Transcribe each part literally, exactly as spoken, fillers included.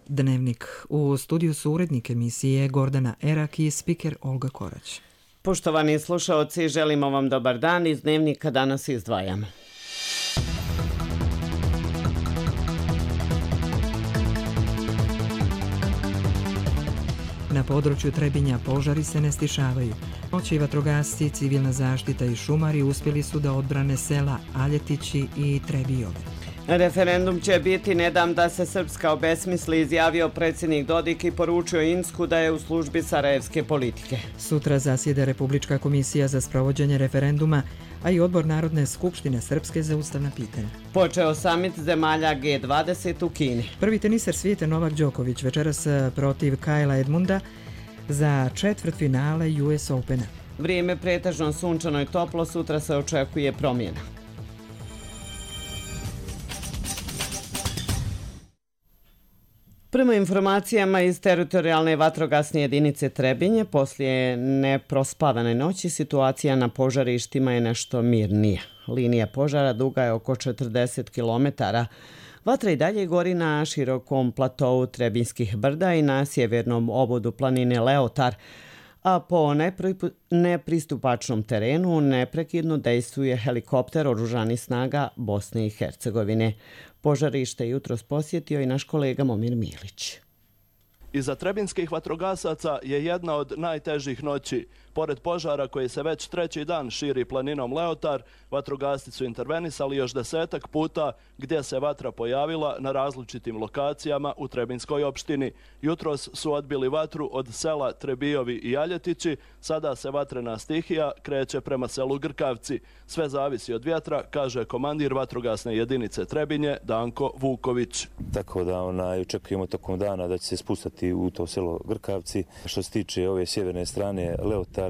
Dnevnik. U studiju su urednik emisije Gordana Erak i spiker Olga Korać. Poštovani slušaoci, želimo vam dobar dan. Iz Dnevnika danas izdvajamo. Na području Trebinja požari se ne stišavaju. Noći vatrogasci, civilna zaštita i šumari uspjeli su da odbrane sela Aljetići i Trebijove. Referendum će biti ne dam da se Srpska obesmisli, izjavio predsjednik Dodik i poručio Insku da je u službi sarajevske politike. Sutra zasjeda Republička komisija za sprovođenje referenduma, a i odbor Narodne skupštine Srpske za ustavna pitanja. Počeo samit zemalja G dvadeset u Kini. Prvi teniser svijeta Novak Đoković večeras protiv Kajla Edmunda za četvrtfinale U S Opena. Vrijeme pretežno sunčano i toplo, sutra se očekuje promjena. Prema informacijama iz teritorijalne vatrogasne jedinice Trebinje, poslije neprospavane noći situacija na požarištima je nešto mirnija. Linija požara duga je oko četrdeset kilometara. Vatra i dalje gori na širokom platovu Trebinjskih brda i na sjevernom obodu planine Leotar, a po nepristupačnom terenu neprekidno dejstvuje helikopter oružanih snaga Bosne i Hercegovine. Požarište jutros posjetio i naš kolega Momir Milić. Iza trebinskih vatrogasaca je jedna od najtežih noći. Pored požara koji se već treći dan širi planinom Leotar, vatrogasci su intervenisali još desetak puta gdje se vatra pojavila na različitim lokacijama u Trebinjskoj opštini. Jutros su odbili vatru od sela Trebijovi i Aljetići, sada se vatrena stihija kreće prema selu Grkavci. Sve zavisi od vjetra, kaže komandir vatrogasne jedinice Trebinje Danko Vuković. Tako da onaj, očekujemo tokom dana da će se spustati u to selo Grkavci. Što se tiče ove sjeverne strane Leotar,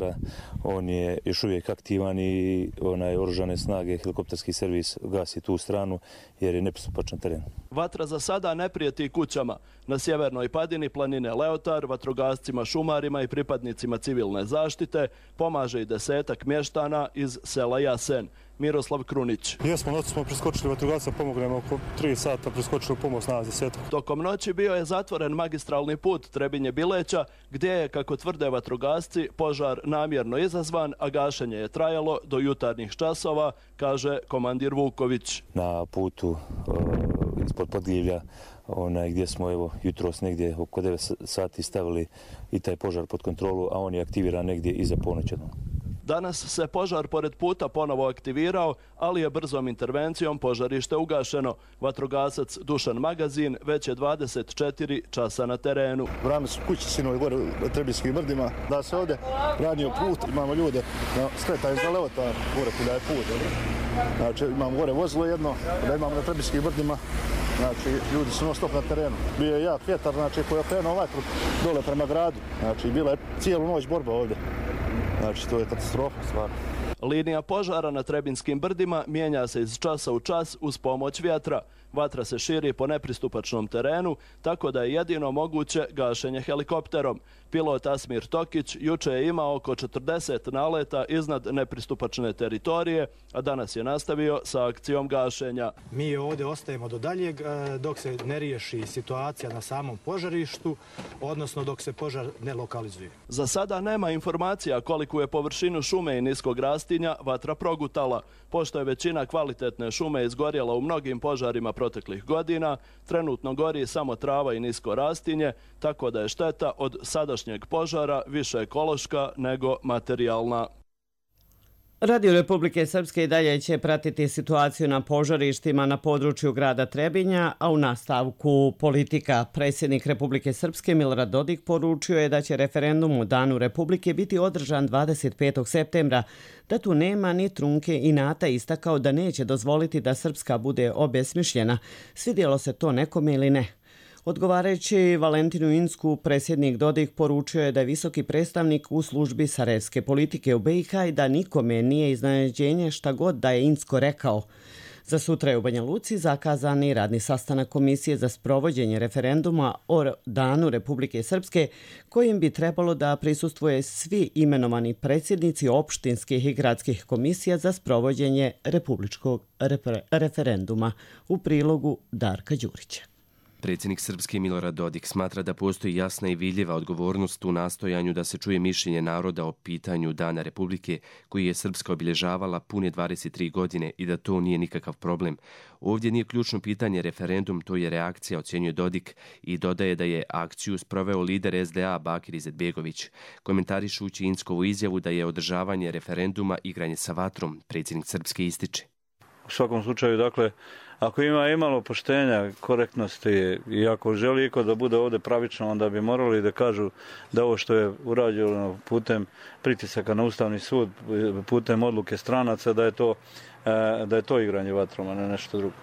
on je još uvijek aktivan i onaj oružane snage, helikopterski servis gasi tu stranu jer je nepristupačan teren. Vatra za sada ne prijeti kućama. Na sjevernoj padini planine Leotar, vatrogascima, šumarima i pripadnicima civilne zaštite pomaže i desetak mještana iz sela Jasen. Miroslav Krunić. Jesmo, noći smo preskočili vatrogasca, pomognemo oko tri sata, preskočili pomoć na desetak. Tokom noći bio je zatvoren magistralni put Trebinje-Bileća, gdje je, kako tvrde vatrogasci, požar namjerno izazvan, a gašenje je trajalo do jutarnjih časova, kaže komandir Vuković. Na putu uh, ispod Podgljivlja, onaj gdje smo evo jutros negdje oko devet sati stavili i taj požar pod kontrolu, a on je aktiviran negdje iza ponoći. Danas se požar pored puta ponovo aktivirao, ali je brzom intervencijom požarište ugašeno. Vatrogasac Dušan Magazin već je dvadeset četiri časa na terenu. Vrame su kući sinovi gore u Trebinjskim brdima, da se ovdje ranio put, imamo ljude, skretaju za Leotar, gore kuda je put. Znači imamo gore vozilo jedno, da imamo na Trebinjskim brdima, znači ljudi su non stop na terenu. Bio je jak vjetar, znači koji je okrenuo vatru dole prema gradu, znači bila je cijelu noć borba ovdje. Znači, to je katastrofa, stvarno. Linija požara na Trebinjskim brdima mijenja se iz časa u čas uz pomoć vjetra. Vatra se širi po nepristupačnom terenu, tako da je jedino moguće gašenje helikopterom. Pilot Asmir Tokić juče je imao oko četrdeset naleta iznad nepristupačne teritorije, a danas je nastavio sa akcijom gašenja. Mi ovdje ostajemo do daljeg dok se ne riješi situacija na samom požarištu, odnosno dok se požar ne lokalizuje. Za sada nema informacija koliku je površinu šume i niskog rastinja vatra progutala. Pošto je većina kvalitetne šume izgorjela u mnogim požarima proteklih godina, trenutno gori samo trava i nisko rastinje, tako da je šteta od sadašnjeg požara više ekološka nego materijalna. Radio Republike Srpske i dalje će pratiti situaciju na požarištima na području grada Trebinja, a u nastavku politika. Predsjednik Republike Srpske Milorad Dodik poručio je da će referendum u Danu Republike biti održan dvadeset petog septembra, da tu nema ni trunke inata, istakao da neće dozvoliti da Srpska bude obesmišljena, svidjelo se to nekome ili ne. Odgovarajući Valentinu Insku, predsjednik Dodik poručio je da je visoki predstavnik u službi sarajevske politike u B i H i da nikome nije iznenađenje šta god da je Insko rekao. Za sutra je u Banja Luci zakazani radni sastanak Komisije za sprovođenje referenduma o Danu Republike Srpske, kojim bi trebalo da prisustvuje svi imenovani predsjednici opštinskih i gradskih komisija za sprovođenje republičkog refer- referenduma. U prilogu Darka Đurića. Predsjednik Srpske Milorad Dodik smatra da postoji jasna i vidljiva odgovornost u nastojanju da se čuje mišljenje naroda o pitanju Dana Republike koji je Srpska obilježavala pune dvadeset tri godine i da to nije nikakav problem. Ovdje nije ključno pitanje referendum, to je reakcija, ocjenjuje Dodik i dodaje da je akciju sproveo lider es de a Bakir Izetbegović. Komentarišući Inckovu izjavu da je održavanje referenduma igranje sa vatrom, predsjednik Srpske ističe. U svakom slučaju, dakle, ako ima imalo poštenja, korektnosti i ako želi iko da bude ovdje pravično, onda bi morali da kažu da ovo što je urađeno putem pritisaka na Ustavni sud, putem odluke stranaca, da je to, da je to igranje vatrom, a ne nešto drugo.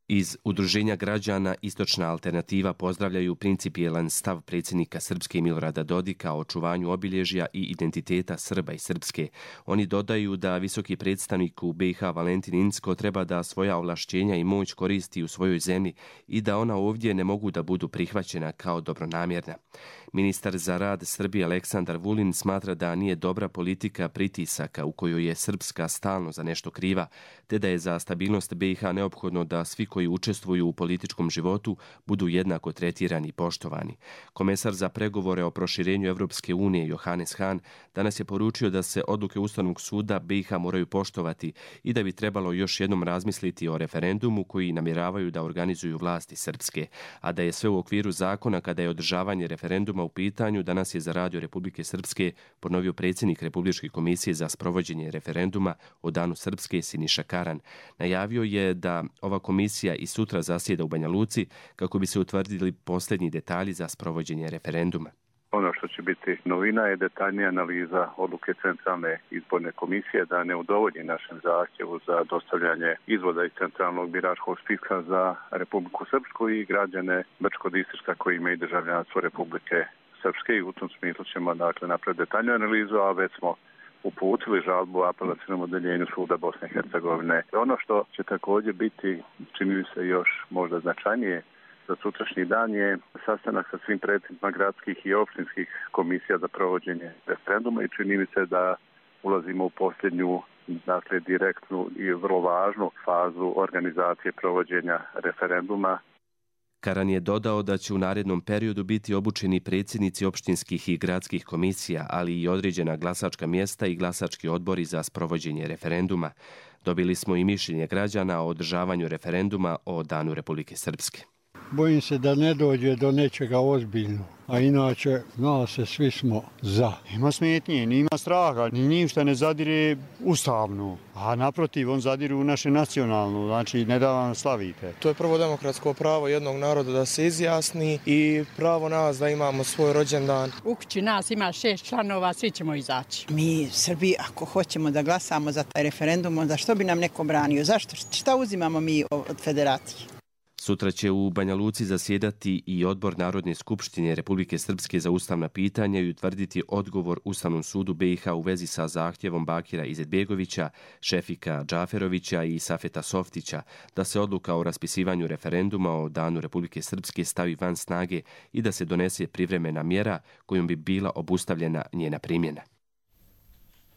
Iz Udruženja građana Istočna alternativa pozdravljaju principijelan stav predsjednika Srpske Milorada Dodika o očuvanju obilježja i identiteta Srba i Srpske. Oni dodaju da visoki predstavnik u be i ha Valentin Incko treba da svoja ovlašćenja i moć koristi u svojoj zemlji i da ona ovdje ne mogu da budu prihvaćena kao dobronamjerna. Ministar za rad Srbije Aleksandar Vulin smatra da nije dobra politika pritisaka u kojoj je Srpska stalno za nešto kriva, te da je za stabilnost be i ha neophodno da svi koji učestvuju u političkom životu budu jednako tretirani i poštovani. Komesar za pregovore o proširenju Evropske unije Johannes Hahn danas je poručio da se odluke Ustavnog suda be i ha moraju poštovati i da bi trebalo još jednom razmisliti o referendumu koji namjeravaju da organizuju vlasti Srpske, a da je sve u okviru zakona kada je održavanje referenduma u pitanju, danas je za Radio Republike Srpske ponovio predsjednik Republičke komisije za sprovođenje referenduma o Danu Srpske Siniša Karan. Najavio je da ova komisija i sutra zasjeda u Banja Luci kako bi se utvrdili posljednji detalji za sprovođenje referenduma. Ono što će biti novina je detaljnija analiza odluke Centralne izborne komisije da ne udovolji našem zahtjevu za dostavljanje izvoda iz Centralnog biračkog spiska za Republiku Srpsku i građane Brčko-Distrišta koji imaju državljanstvo Republike Srpske i u tom smislu ćemo dakle napraviti detaljnu analizu, a već smo uputili žalbu apelacionom odeljenju suda Bosne i Hercegovine. Ono što će također biti, čini mi se još možda značajnije za sutrašnji dan, je sastanak sa svim predsjednicima gradskih i opštinskih komisija za provođenje referenduma i čini mi se da ulazimo u posljednju, dakle direktnu i vrlo važnu fazu organizacije provođenja referenduma. Karan je dodao da će u narednom periodu biti obučeni predsjednici opštinskih i gradskih komisija, ali i određena glasačka mjesta i glasački odbori za sprovođenje referenduma. Dobili smo i mišljenje građana o održavanju referenduma o Danu Republike Srpske. Bojim se da ne dođe do nečega ozbiljno, a inače, zna se, svi smo za. Ima smetnje, nima straha, ni ništa ne zadire ustavno, a naprotiv, on zadire u naše nacionalno, znači ne da vam slavite. To je prvo demokratsko pravo jednog naroda da se izjasni i pravo nas da imamo svoj rođendan. U kući nas ima šest članova, svi ćemo izaći. Mi, Srbi, ako hoćemo da glasamo za taj referendum, onda što bi nam neko branio? Zašto? Šta uzimamo mi od federacije? Sutra će u Banja Luci zasjedati i odbor Narodne skupštine Republike Srpske za ustavna pitanja i utvrditi odgovor Ustavnom sudu be i ha u vezi sa zahtjevom Bakira Izetbegovića, Šefika Džaferovića i Safeta Softića da se odluka o raspisivanju referenduma o Danu Republike Srpske stavi van snage i da se donese privremena mjera kojom bi bila obustavljena njena primjena.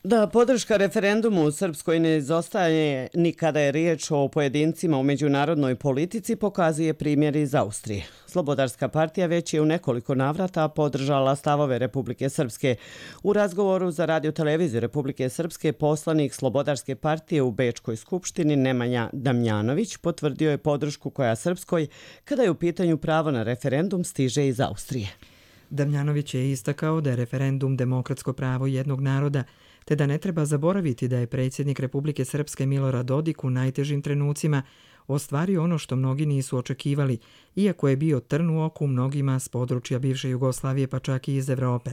Da podrška referendumu u Srpskoj ne izostaje ni kada je riječ o pojedincima u međunarodnoj politici, pokazuje primjer iz Austrije. Slobodarska partija već je u nekoliko navrata podržala stavove Republike Srpske. U razgovoru za radio-televiziju Republike Srpske poslanik Slobodarske partije u Bečkoj skupštini Nemanja Damjanović potvrdio je podršku koja Srpskoj, kada je u pitanju pravo na referendum, stiže iz Austrije. Damjanović je istakao da je referendum demokratsko pravo jednog naroda, te da ne treba zaboraviti da je predsjednik Republike Srpske Milorad Dodik u najtežim trenucima ostvario ono što mnogi nisu očekivali, iako je bio trn u oku mnogima s područja bivše Jugoslavije pa čak i iz Evrope.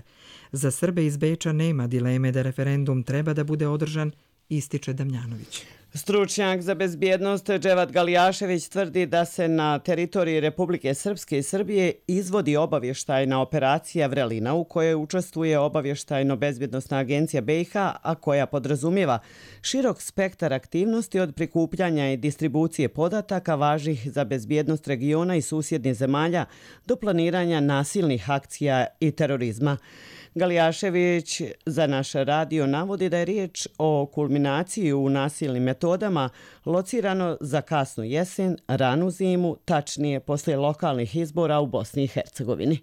Za Srbe iz Beča nema dileme da referendum treba da bude održan, ističe Damjanović. Stručnjak za bezbjednost Dževat Galijašević tvrdi da se na teritoriji Republike Srpske i Srbije izvodi obavještajna operacija Vrelina u kojoj učestvuje obavještajno-bezbjednostna agencija be i ha, a koja podrazumijeva širok spektar aktivnosti od prikupljanja i distribucije podataka važnih za bezbjednost regiona i susjednih zemalja do planiranja nasilnih akcija i terorizma. Galijašević za naš radio navodi da je riječ o kulminaciji u nasilnim metodama locirano za kasnu jesen, ranu zimu, tačnije poslije lokalnih izbora u Bosni i Hercegovini.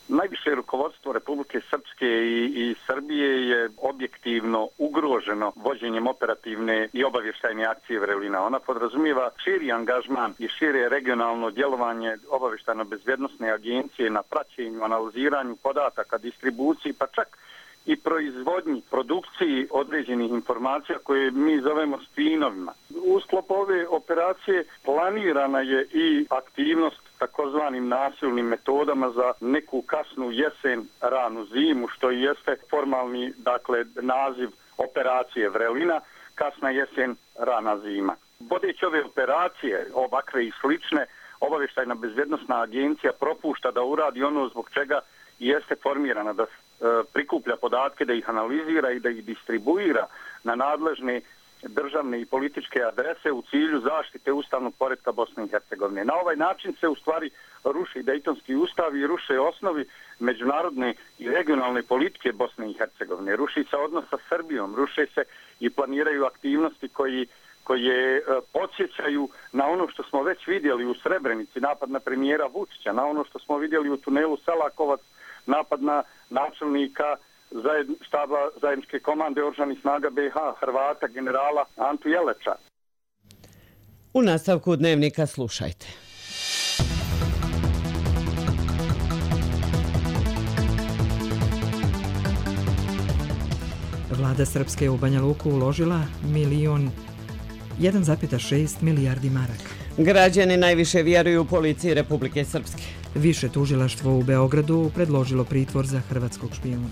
Najviše rukovodstvo Republike Srpske i, i Srbije je objektivno ugroženo vođenjem operativne i obavještajne akcije Vrelina. Ona podrazumijeva širi angažman i šire regionalno djelovanje obavještajno-bezbjednosne agencije na praćenju, analiziranju podataka, distribuciji, pa čak i proizvodnji, produkciji određenih informacija koje mi zovemo spinovima. U sklopu ove operacije planirana je i aktivnost takozvanim nasilnim metodama za neku kasnu jesen, ranu zimu, što i jeste formalni, dakle, naziv operacije Vrelina, kasna jesen, rana zima. Vodeći ove operacije, ovakve i slične, obavještajna bezbjednosna agencija propušta da uradi ono zbog čega jeste formirana, da prikuplja podatke, da ih analizira i da ih distribuira na nadležne državne i političke adrese u cilju zaštite ustavnog poretka Bosne i Hercegovine. Na ovaj način se u stvari ruši Dejtonski ustav i ruše osnovi međunarodne i regionalne politike Bosne i Hercegovine. Ruši se odnos sa Srbijom, ruše se i planiraju aktivnosti koji koje podsjećaju na ono što smo već vidjeli u Srebrenici, napad na premijera Vučića, na ono što smo vidjeli u tunelu Selakovac, napad na načelnika zajedn, štaba zajedničke komande oružanih snaga B iH, Hrvata, generala Antu Jeleča. U nastavku dnevnika slušajte. Vlada Srpske u Banja Luku uložila milion jedan zarez šest milijardi maraka. Građani najviše vjeruju u policiji Republike Srpske. Više tužilaštvo u Beogradu predložilo pritvor za hrvatskog špijuna.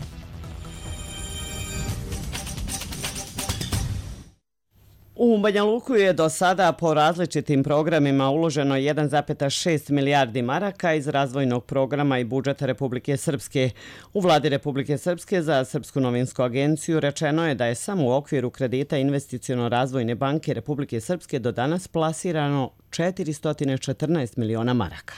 U Banja Luku je do sada po različitim programima uloženo jedan zarez šest milijardi maraka iz razvojnog programa i budžeta Republike Srpske. U vladi Republike Srpske za Srpsku novinsku agenciju rečeno je da je samo u okviru kredita Investiciono-razvojne banke Republike Srpske do danas plasirano četiristo četrnaest miliona maraka.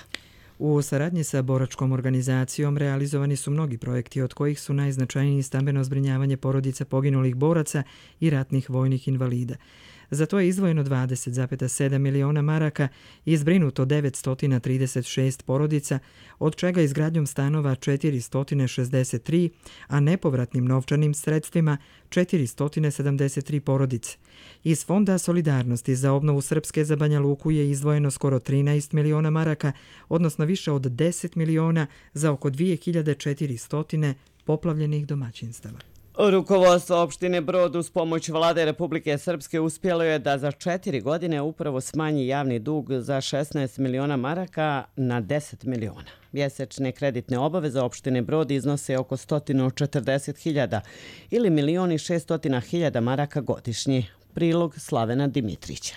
U saradnji sa boračkom organizacijom realizovani su mnogi projekti, od kojih su najznačajniji stambeno zbrinjavanje porodica poginulih boraca i ratnih vojnih invalida. Za to je izdvojeno dvadeset zarez sedam miliona maraka i zbrinuto devetsto trideset šest porodica, od čega izgradnjom stanova četiristo šezdeset tri, a nepovratnim novčanim sredstvima četiristo sedamdeset tri porodice. Iz Fonda solidarnosti za obnovu Srpske za Banja Luku je izdvojeno skoro trinaest miliona maraka, odnosno više od deset miliona za oko dvije hiljade četiristo poplavljenih domaćinstava. Rukovodstvo opštine Brod uz pomoć vlade Republike Srpske uspjelo je da za četiri godine upravo smanji javni dug za šesnaest miliona maraka na deset miliona. Mjesečne kreditne obaveze opštine Brod iznose oko sto četrdeset hiljada ili milion i šesto hiljada maraka godišnje. Prilog Slavena Dimitrića.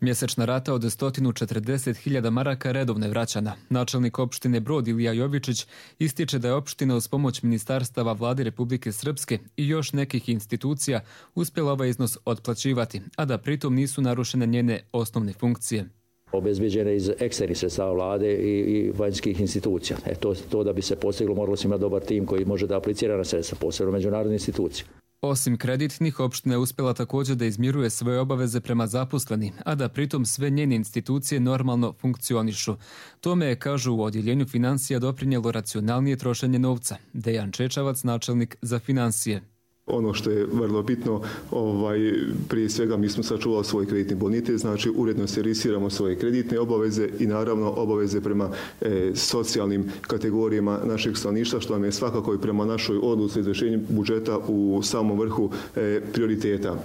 Mjesečna rata od sto četrdeset hiljada maraka redovno je vraćana. Načelnik opštine Brod Ilija Jovičić ističe da je opština uz pomoć ministarstava vlade Republike Srpske i još nekih institucija uspjela ovaj iznos otplaćivati, a da pritom nisu narušene njene osnovne funkcije. Obezbeđene iz eksternih sredstava vlade i, i vanjskih institucija. E to, to da bi se postiglo moralo se imati dobar tim koji može da aplicira na sredstva, posebno međunarodne institucije. Osim kreditnih, opština je uspjela također da izmiruje svoje obaveze prema zaposleni, a da pritom sve njene institucije normalno funkcionišu. Tome je, kažu, u odjeljenju financija doprinijelo racionalnije trošenje novca. Dejan Čečavac, načelnik za financije. Ono što je vrlo bitno, ovaj, prije svega mi smo sačuvali svoj kreditni bonitet, znači uredno servisiramo svoje kreditne obaveze i naravno obaveze prema e, socijalnim kategorijama našeg stanovništva, što nam je svakako i prema našoj odluci izvršenju budžeta u samom vrhu e, prioriteta.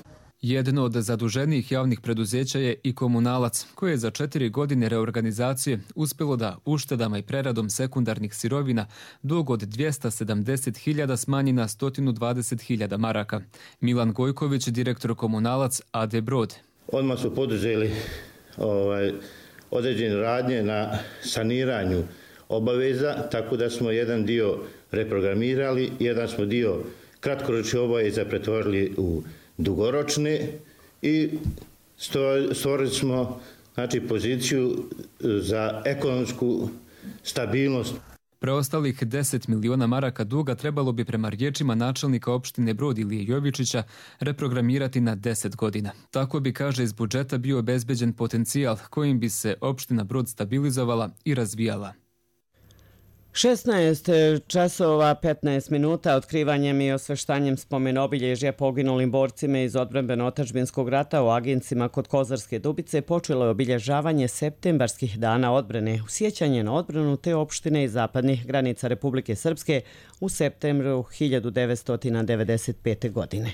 Jedno od zaduženijih javnih preduzeća je i Komunalac, koje je za četiri godine reorganizacije uspjelo da uštedama i preradom sekundarnih sirovina dug od dvjesto sedamdeset hiljada smanji na sto dvadeset hiljada maraka. Milan Gojković, direktor Komunalac A D Brod. Odmah su poduzeli ovaj, određene radnje na saniranju obaveza, tako da smo jedan dio reprogramirali, jedan smo dio kratkoročne obaveza pretvorili u dugoročne i stvorili smo, znači, poziciju za ekonomsku stabilnost. Preostalih deset miliona maraka duga trebalo bi prema riječima načelnika opštine Brod Ilije Jovičića reprogramirati na deset godina. Tako bi, kaže, iz budžeta bio obezbeđen potencijal kojim bi se opština Brod stabilizovala i razvijala. šesnaest časova petnaest minuta otkrivanjem i osveštanjem spomen obilježja poginulim borcima iz odbrambeno-otadžbinskog rata u Agincima kod Kozarske Dubice počelo je obilježavanje septembarskih dana odbrane u sjećanje na odbranu te opštine iz zapadnih granica Republike Srpske u septembru hiljadu devetsto devedeset pete. godine.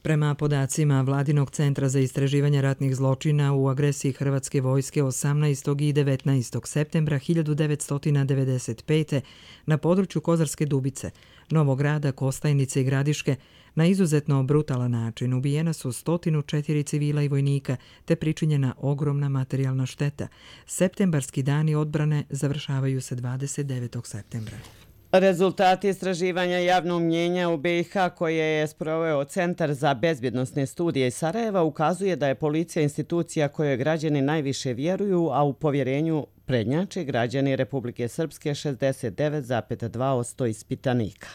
Prema podacima Vladinog centra za istraživanje ratnih zločina u agresiji Hrvatske vojske osamnaestog i devetnaestog septembra hiljadu devetsto devedeset pete. na području Kozarske Dubice, Novog Grada, Kostajnice i Gradiške na izuzetno brutalan način ubijena su sto četiri civila i vojnika te pričinjena ogromna materijalna šteta. Septembarski dani odbrane završavaju se dvadeset devetog septembra. Rezultati istraživanja javnog mnjenja u B i H koje je sproveo Centar za bezbjednosne studije iz Sarajeva ukazuje da je policija institucija kojoj građani najviše vjeruju, a u povjerenju prednjače građani Republike Srpske šezdeset devet zarez dva posto ispitanika.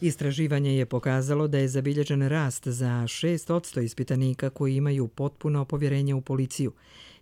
Istraživanje je pokazalo da je zabilježen rast za šest posto ispitanika koji imaju potpuno povjerenje u policiju.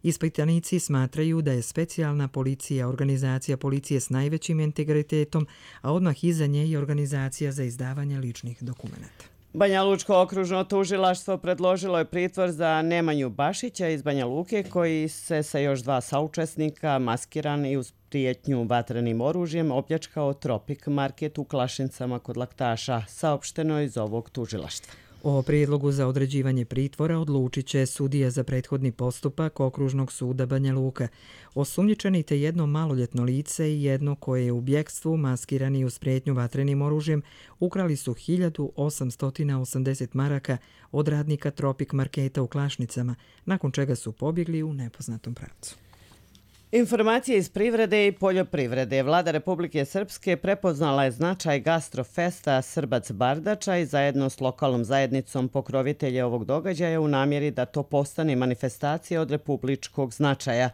Ispitanici smatraju da je specijalna policija organizacija policije s najvećim integritetom, a odmah iza nje je organizacija za izdavanje ličnih dokumenata. Banja Lučko okružno tužilaštvo predložilo je pritvor za Nemanju Bašića iz Banja Luke koji se sa još dva saučesnika maskiran i uz prijetnju vatrenim oružjem opljačkao Tropik market u Klašincama kod Laktaša, saopšteno iz ovog tužilaštva. O prijedlogu za određivanje pritvora odlučit će sudija za prethodni postupak Okružnog suda Banja Luka. Osumnjičeni te jedno maloljetno lice i jedno koje je u bjekstvu maskirani uz prijetnju vatrenim oružjem ukrali su hiljadu osamsto osamdeset maraka od radnika Tropik marketa u Klašnicama, nakon čega su pobjegli u nepoznatom pravcu. Informacije iz privrede i poljoprivrede. Vlada Republike Srpske prepoznala je značaj gastrofesta Srbac Bardača i zajedno s lokalnom zajednicom pokrovitelja ovog događaja u namjeri da to postane manifestacija od republičkog značaja,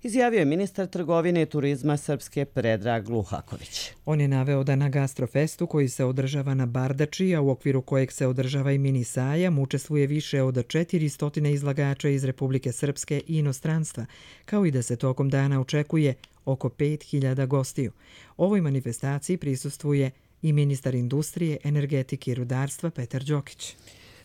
izjavio je ministar trgovine i turizma Srpske Predrag Luhaković. On je naveo da na gastrofestu koji se održava na Bardači, a u okviru kojeg se održava i mini sajam, učestvuje više od četiristo izlagača iz Republike Srpske i inostranstva, kao i da se tokom dana očekuje oko pet hiljada gostiju. Ovoj manifestaciji prisustvuje i ministar industrije, energetike i rudarstva Petar Đokić.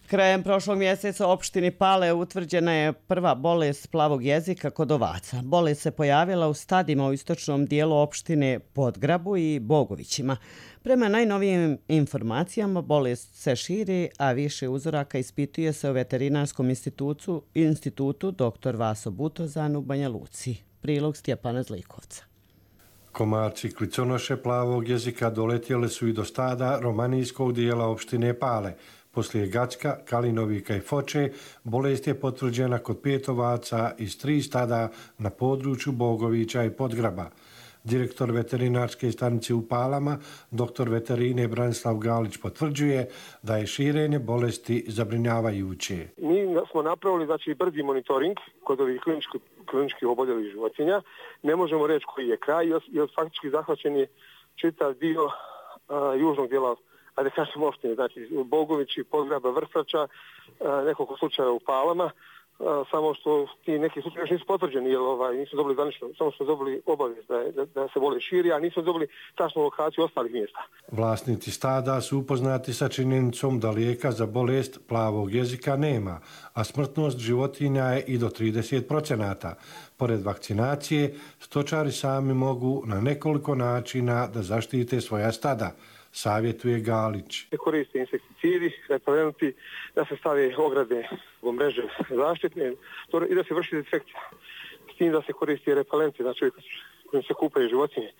Krajem prošlog mjeseca u opštini Pale utvrđena je prva bolest plavog jezika kod ovaca. Bolest se pojavila u stadima u istočnom dijelu opštine Podgrabu i Bogovićima. Prema najnovijim informacijama bolest se širi, a više uzoraka ispituje se u veterinarskom institutu, institutu doktor Vaso Butozan u Banja Luci. Prilog Stjepana Zlikovca. Komarci kliconoše plavog jezika doletjeli su i do stada romanijskog dijela opštine Pale. Poslije Gacka, Kalinovika i Foče, bolest je potvrđena kod pet ovaca iz tri stada na području Bogovića i Podgraba. Direktor veterinarske stanice u Palama, doktor veterine Branislav Galić, potvrđuje da je širenje bolesti zabrinjavajuće. Mi smo napravili znači, brzi monitoring kod ovih kliničkih, kliničkih oboljelih životinja. Ne možemo reći koji je kraj, jer faktički zahvaćen je čitav dio a, južnog dijela, a da kažem opštine, znači Bogovići, Podgraba, Vrsača, nekoliko slučaja u Palama, samo što ti neki slučaje još nisu potvrđeni, jer ovaj, nisu dobili zvanično, samo smo dobili obavijest da, da, da se bolest širi, a nisu dobili tačnu lokaciju ostalih mjesta. Vlasnici stada su upoznati sa činjenicom da lijeka za bolest plavog jezika nema, a smrtnost životinja je i do trideset procenata. Pored vakcinacije, stočari sami mogu na nekoliko načina da zaštite svoja stada, savjetuje Galić. Se koriste insekticidi, repelenti, da se stave ograde u mreže zaštitne i da se vrši dezinfekcija. S tim da se koristi repelenti, znači kojim se kupaju životinje,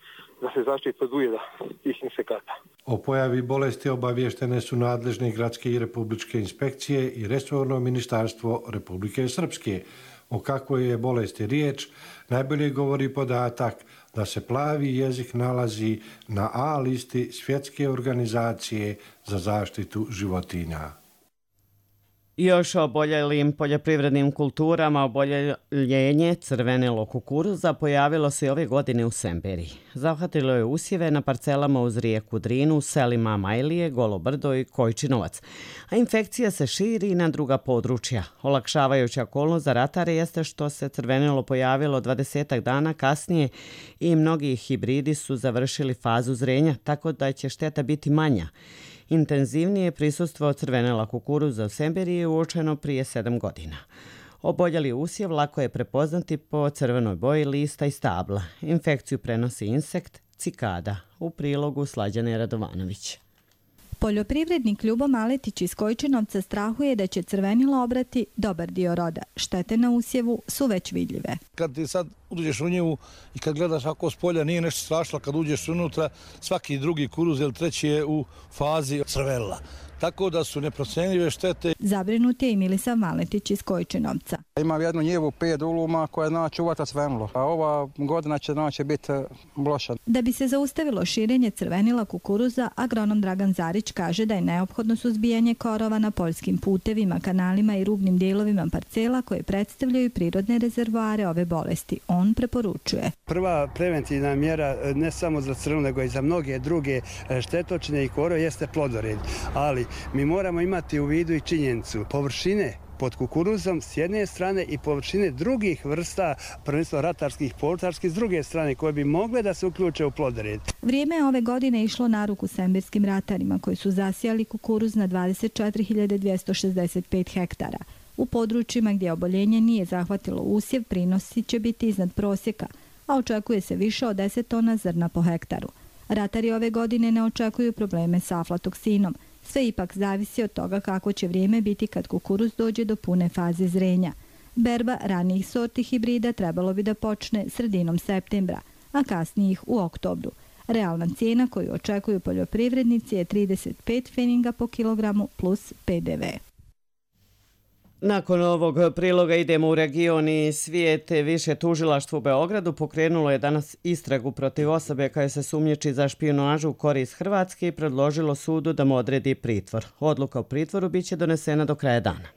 da se zaštiti od ujeda tih insekata. O pojavi bolesti obavještene su nadležne gradske i republičke inspekcije i resorno ministarstvo Republike Srpske. O kakvoj je bolesti riječ, najbolje govori podatak da se plavi jezik nalazi na A listi Svjetske organizacije za zaštitu životinja. Još o oboljelim poljoprivrednim kulturama, oboljenje crvenilo kukuruza pojavilo se ove godine u Semberiji. Zahvatilo je usjeve na parcelama uz rijeku Drinu, u selima Majlije, Golo Brdo i Kojčinovac. A infekcija se širi i na druga područja. Olakšavajuća okolnost za ratare jeste što se crvenilo pojavilo dvadesetak dana kasnije i mnogi hibridi su završili fazu zrenja, tako da će šteta biti manja. Intenzivnije prisustvo crvenela kukuruza u Semberiji je uočeno prije sedam godina. Oboljeli usjev lako je prepoznati po crvenoj boji lista i stabla. Infekciju prenosi insekt cikada. U prilogu Slađane Radovanović. Poljoprivrednik Ljubo Maletić iz Kojčinovca strahuje da će crvenilo obrati dobar dio roda. Štete na usjevu su već vidljive. Kad ti sad uđeš u njevu i kad gledaš ako s polja nije nešto strašno, kad uđeš unutra svaki drugi kuruz ili treći je u fazi crvenila. Tako da su neprocenljive štete. Zabrinut je i Milisav Maletić iz Kojčinovca. Imam jednu njevu pet uluma koja zna čuvati crvenilo, a ova godina će znači biti loša. Da bi se zaustavilo širenje crvenila kukuruza, agronom Dragan Zarić kaže da je neophodno suzbijanje korova na poljskim putevima, kanalima i rubnim dijelovima parcela koje predstavljaju prirodne rezervoare ove bolesti. On preporučuje. Prva preventivna mjera ne samo za crvenilo, nego i za mnoge druge štetočine i korove jeste plodored, ali mi moramo imati u vidu i činjenicu površine pod kukuruzom s jedne strane i površine drugih vrsta, prvenstveno ratarskih, povrtarskih s druge strane, koje bi mogle da se uključe u plodored. Vrijeme je ove godine išlo na ruku semberskim ratarima koji su zasijali kukuruz na dvadeset četiri hiljade dvjesto šezdeset pet hektara. U područjima gdje oboljenje nije zahvatilo usjev, prinosi će biti iznad prosjeka, a očekuje se više od deset tona zrna po hektaru. Ratari ove godine ne očekuju probleme sa aflatoksinom. Sve ipak zavisi od toga kako će vrijeme biti kad kukuruz dođe do pune faze zrenja. Berba ranijih sorti hibrida trebalo bi da počne sredinom septembra, a kasnijih u oktobru. Realna cijena koju očekuju poljoprivrednici je trideset pet pfeninga po kilogramu plus pe de ve. Nakon ovog priloga idemo u region i svijet. Više tužilaštvo u Beogradu pokrenulo je danas istragu protiv osobe koja se sumnjiči za špijunažu u korist Hrvatske i predložilo sudu da mu odredi pritvor. Odluka o pritvoru biće donesena do kraja dana.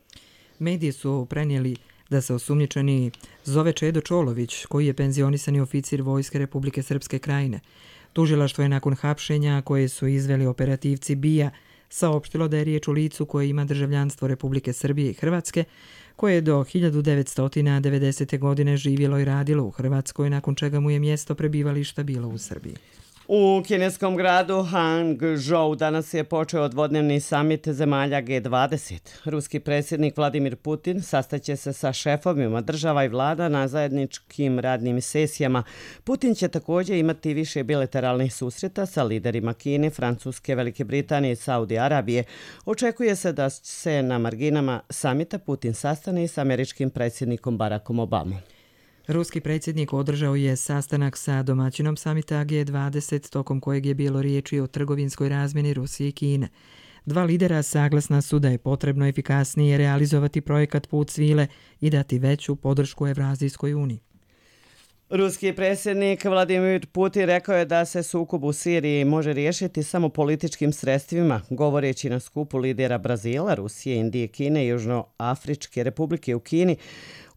Mediji su prenijeli da se osumnjičeni zove Čedo Čolović, koji je penzionisani oficir Vojske Republike Srpske Krajine. Tužilaštvo je nakon hapšenja koje su izveli operativci B I A saopštilo da je riječ o licu koje ima državljanstvo Republike Srbije i Hrvatske, koje je do hiljadu devetsto devedesete. godine živjelo i radilo u Hrvatskoj, nakon čega mu je mjesto prebivališta bilo u Srbiji. U kineskom gradu Hangzhou danas je počeo dvodnevni samit zemalja G dvadeset. Ruski predsjednik Vladimir Putin sastaće se sa šefovima država i vlada na zajedničkim radnim sesijama. Putin će također imati više bilateralnih susreta sa liderima Kine, Francuske, Velike Britanije i Saudi Arabije. Očekuje se da se na marginama samita Putin sastane s američkim predsjednikom Barackom Obamom. Ruski predsjednik održao je sastanak sa domaćinom samita G dvadeset, tokom kojeg je bilo riječi o trgovinskoj razmjeni Rusije i Kine. Dva lidera saglasna su da je potrebno efikasnije realizovati projekat Put svile i dati veću podršku Evrazijskoj uniji. Ruski predsjednik Vladimir Putin rekao je da se sukob u Siriji može riješiti samo političkim sredstvima, govoreći na skupu lidera Brazila, Rusije, Indije, Kine i Južnoafričke republike u Kini.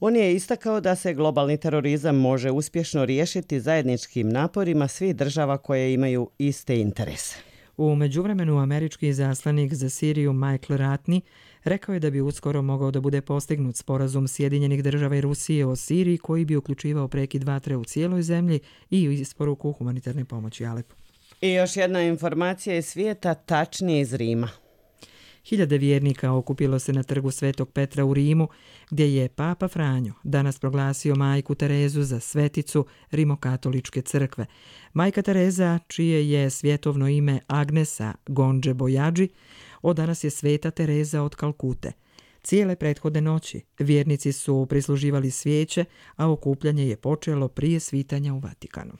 On je istakao da se globalni terorizam može uspješno riješiti zajedničkim naporima svih država koje imaju iste interese. U međuvremenu američki izaslanik za Siriju Michael Ratney rekao je da bi uskoro mogao da bude postignut sporazum Sjedinjenih država i Rusije o Siriji koji bi uključivao prekid vatre u cijeloj zemlji i isporuku humanitarne pomoći Alepu. I još jedna informacija iz svijeta, tačnije iz Rima. Hiljade vjernika okupilo se na trgu Svetog Petra u Rimu, gdje je Papa Franjo danas proglasio majku Terezu za sveticu Rimokatoličke crkve. Majka Tereza, čije je svjetovno ime Agnesa Gonđe Bojađi, od danas je Sveta Tereza od Kalkute. Cijele prethodne noći vjernici su prisluživali svijeće, a okupljanje je počelo prije svitanja u Vatikanu.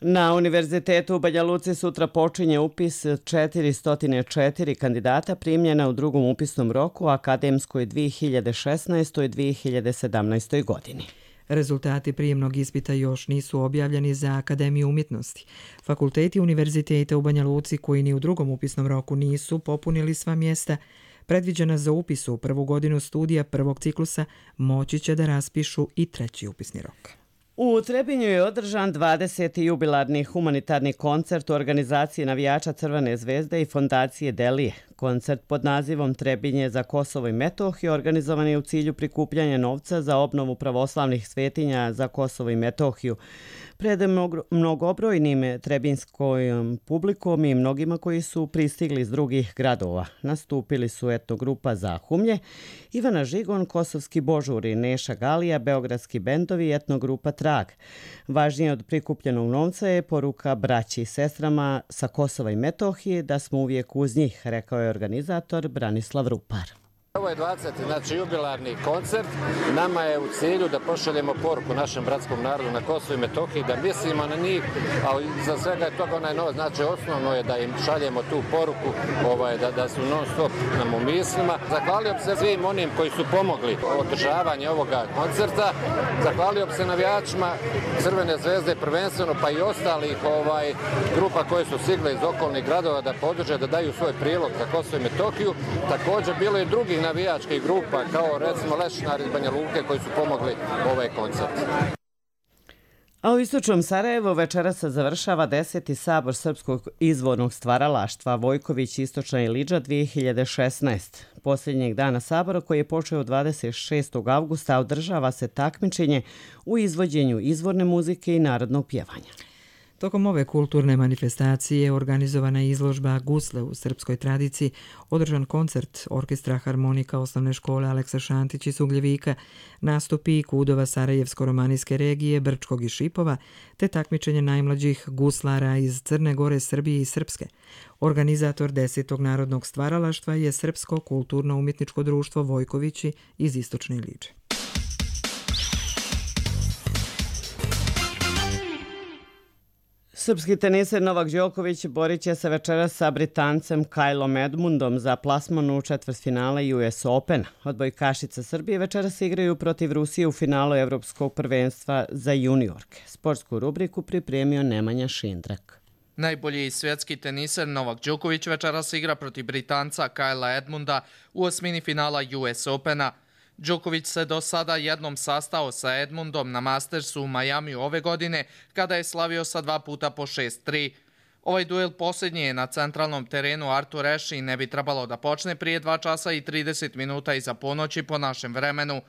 Na Univerzitetu u Banja Luci sutra počinje upis četiristo četiri kandidata primljena u drugom upisnom roku u akademskoj dvije hiljade šesnaestoj dvije hiljade sedamnaestoj. godini. Rezultati prijemnog ispita još nisu objavljeni za Akademiju umjetnosti. Fakulteti univerziteta u Banja Luci koji ni u drugom upisnom roku nisu popunili sva mjesta, predviđena za upis u prvu godinu studija prvog ciklusa, moći će da raspišu i treći upisni rok. U Trebinju je održan dvadeseti jubilarni humanitarni koncert u organizaciji navijača Crvene zvezde i fondacije Delije. Koncert pod nazivom Trebinje za Kosovo i Metohiju organizovan je u cilju prikupljanja novca za obnovu pravoslavnih svetinja za Kosovo i Metohiju. Pred mnogobrojnim trebinskom publikom i mnogima koji su pristigli iz drugih gradova. Nastupili su etnogrupa Zahumlje, Ivana Žigon, Kosovski Božuri, Neša Galija, beogradski bendovi i etnogrupa Trag. Važnije od prikupljenog novca je poruka braći i sestrama sa Kosova i Metohije da smo uvijek uz njih, rekao je organizator Branislav Rupar. Ovo je dvadeseti znači jubilarni koncert. Nama je u cilju da pošaljemo poruku našem bratskom narodu na Kosovu i Metohiji, da mislimo na njih, a za svega je toga onaj novac. Znači osnovno je da im šaljemo tu poruku, ovaj, da, da su non stop nam u mislima. Zahvalio bi se svim onim koji su pomogli održavanje ovoga koncerta. Zahvalio bi se navijačima Crvene zvezde prvenstveno, pa i ostalih ovaj, grupa koje su stigle iz okolnih gradova da podrže, da daju svoj prilog za Kosovo i Metohiju. Također bilo je drugih navijačkih grupa, kao recimo Lešinar iz Banja Luke, koji su pomogli ovaj koncert. A u istočnom Sarajevu večera se završava deseti sabor srpskog izvornog stvaralaštva Vojković, Istočna Ilidža dvije hiljade šesnaeste. Posljednjeg dana sabora, koji je počeo dvadeset šestog avgusta, održava se takmičenje u izvođenju izvorne muzike i narodnog pjevanja. Tokom ove kulturne manifestacije organizovana je izložba Gusle u srpskoj tradiciji, održan koncert Orkestra harmonika osnovne škole Aleksa Šantić iz Ugljevika, nastupi kudova Sarajevsko-romanijske regije, Brčkog i Šipova, te takmičenje najmlađih guslara iz Crne Gore, Srbije i Srpske. Organizator desetog narodnog stvaralaštva je Srpsko kulturno-umjetničko društvo Vojkovići iz Istočne Ilidže. Srpski teniser Novak Đoković borit će se večeras sa Britancem Kylom Edmundom za plasman u četvrtfinale U S Opena. Odbojkašice Srbije večeras igraju protiv Rusije u finalu Evropskog prvenstva za juniorke. Sportsku rubriku pripremio Nemanja Šindrak. Najbolji svjetski teniser Novak Đoković večeras igra protiv Britanca Kyla Edmunda u osmini finala U S Opena. Đoković se do sada jednom sastao sa Edmundom na Mastersu u Majamiju ove godine, kada je slavio sa dva puta po šest tri. Ovaj duel posljednji je na centralnom terenu Artur Ashe i ne bi trebalo da počne prije dva časa i trideset minuta iza ponoći po našem vremenu.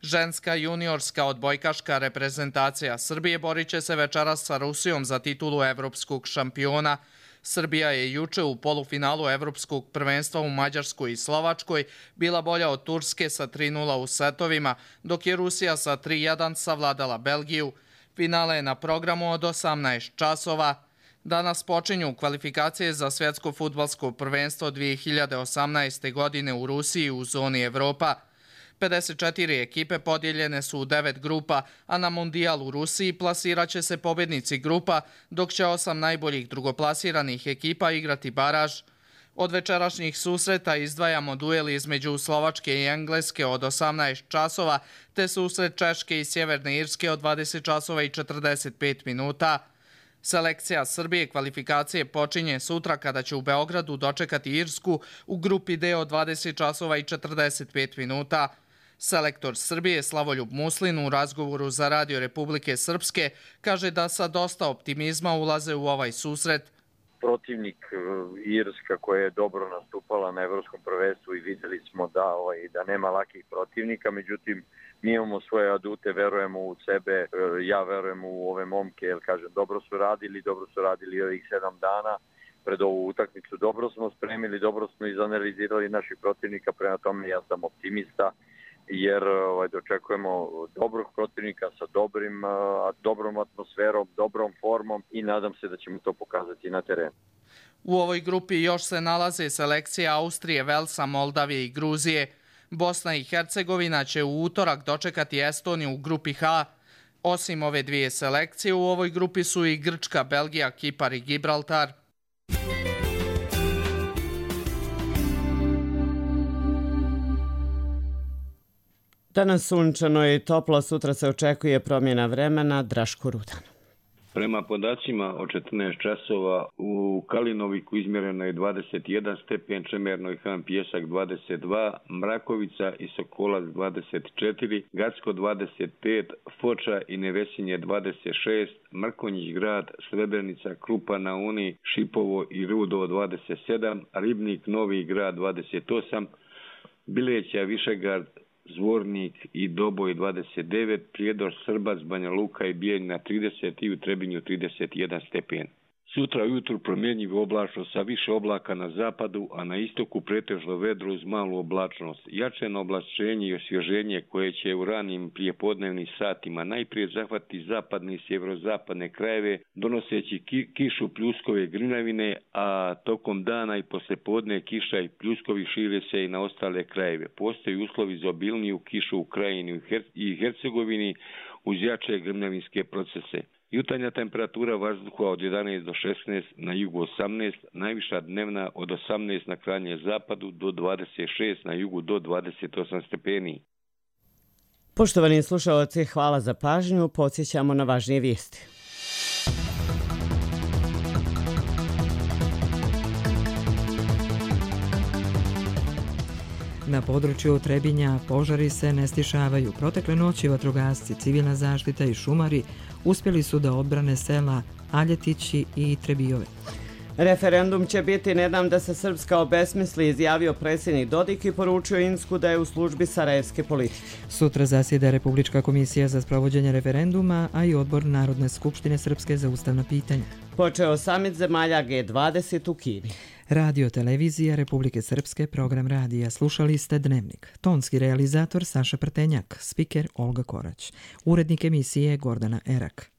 Ženska juniorska odbojkaška reprezentacija Srbije borit će se večeras sa Rusijom za titulu evropskog šampiona. Srbija je juče u polufinalu Evropskog prvenstva u Mađarskoj i Slovačkoj bila bolja od Turske sa tri nula u setovima, dok je Rusija sa tri jedan savladala Belgiju. Finale je na programu od osamnaest časova. Danas počinju kvalifikacije za svjetsko fudbalsko prvenstvo dvije hiljade osamnaeste. godine u Rusiji u zoni Evropa. pedeset četiri ekipe podijeljene su u devet grupa, a na Mundijal u Rusiji plasirat će se pobjednici grupa, dok će osam najboljih drugoplasiranih ekipa igrati baraž. Od večerašnjih susreta izdvajamo duel između Slovačke i Engleske od osamnaest časova, te susret Češke i Sjeverne Irske od dvadeset časova i četrdeset pet minuta. Selekcija Srbije kvalifikacije počinje sutra kada će u Beogradu dočekati Irsku u grupi D od dvadeset časova i četrdeset pet minuta. Selektor Srbije Slavoljub Muslin u razgovoru za Radio Republike Srpske kaže da sa dosta optimizma ulaze u ovaj susret. Protivnik Irska koja je dobro nastupala na evropskom prvenstvu i vidjeli smo da, ovaj, da nema lakih protivnika, međutim mi imamo svoje adute, verujemo u sebe, ja verujem u ove momke, jer kažem, dobro su radili, dobro su radili ovih sedam dana pred ovu utakmicu, dobro smo spremili, dobro smo izanalizirali naših protivnika, prema tome ja sam optimista, jer ovaj, dočekujemo dobrog protivnika sa dobrim, a, dobrom atmosferom, dobrom formom i nadam se da ćemo to pokazati na terenu. U ovoj grupi još se nalaze selekcije Austrije, Velsa, Moldavije i Gruzije. Bosna i Hercegovina će u utorak dočekati Estoniju u grupi H. Osim ove dvije selekcije, u ovoj grupi su i Grčka, Belgija, Kipar i Gibraltar. Danas sunčano i toplo, sutra se očekuje promjena vremena. Draško Rudan. Prema podacima od četrnaest časova u Kalinoviku izmjereno je dvadeset jedan stepen, Čemerno i Han Pjesak dvadeset dva, Mrakovica i Sokolac dvadeset četiri, Gacko dvadeset pet, Foča i Nevesinje dvadeset šest, Mrkonjić grad, Srebrenica, Krupa na Uni, Šipovo i Rudo dvadeset sedam, Ribnik, Novi grad dvadeset osam, Bileća, Višegrad, Zvornik i Doboj dvadeset devet, Prijedor, Srbac, Banja Luka i Bijeljina trideset i u Trebinju trideset jedan stepen. Sutra ujutru promjenjivo oblačno sa više oblaka na zapadu, a na istoku pretežno vedro uz malu oblačnost. Jačeno oblačenje i osvježenje koje će u ranim prijepodnevnim satima najprije zahvati zapadne i sjeverozapadne krajeve, donoseći ki, kišu, pljuskove, grinavine, a tokom dana i poslijepodne kiša i pljuskovi šire se i na ostale krajeve. Postoji uslovi za obilniju kišu u Krajini i Hercegovini uz jače grmljavinske procese. Jutarnja temperatura vazduha od jedanaest do šesnaest, na jugu osamnaest, najviša dnevna od osamnaest na krajnjem zapadu do dvadeset šest, na jugu do dvadeset osam stepeni. Poštovani slušalci, hvala za pažnju. Podsjećamo na važnije vijesti. Na području Trebinja požari se ne stišavaju. Protekle noći vatrogasci, civilna zaštita i šumari uspjeli su da odbrane sela Aljetići i Trebijove. Referendum će biti ne dam da se Srpska obesmisli, izjavio predsjednik Dodik i poručio Insku da je u službi sarajevske politike. Sutra zasjeda Republička komisija za sprovođenje referenduma, a i odbor Narodne skupštine Srpske za ustavna pitanja. Počeo samit zemalja G dvadeset u Kini. Radio Televizija Republike Srpske, program radija. Slušali ste Dnevnik. Tonski realizator Saša Prtenjak, spiker Olga Korać. Urednik emisije Gordana Erak.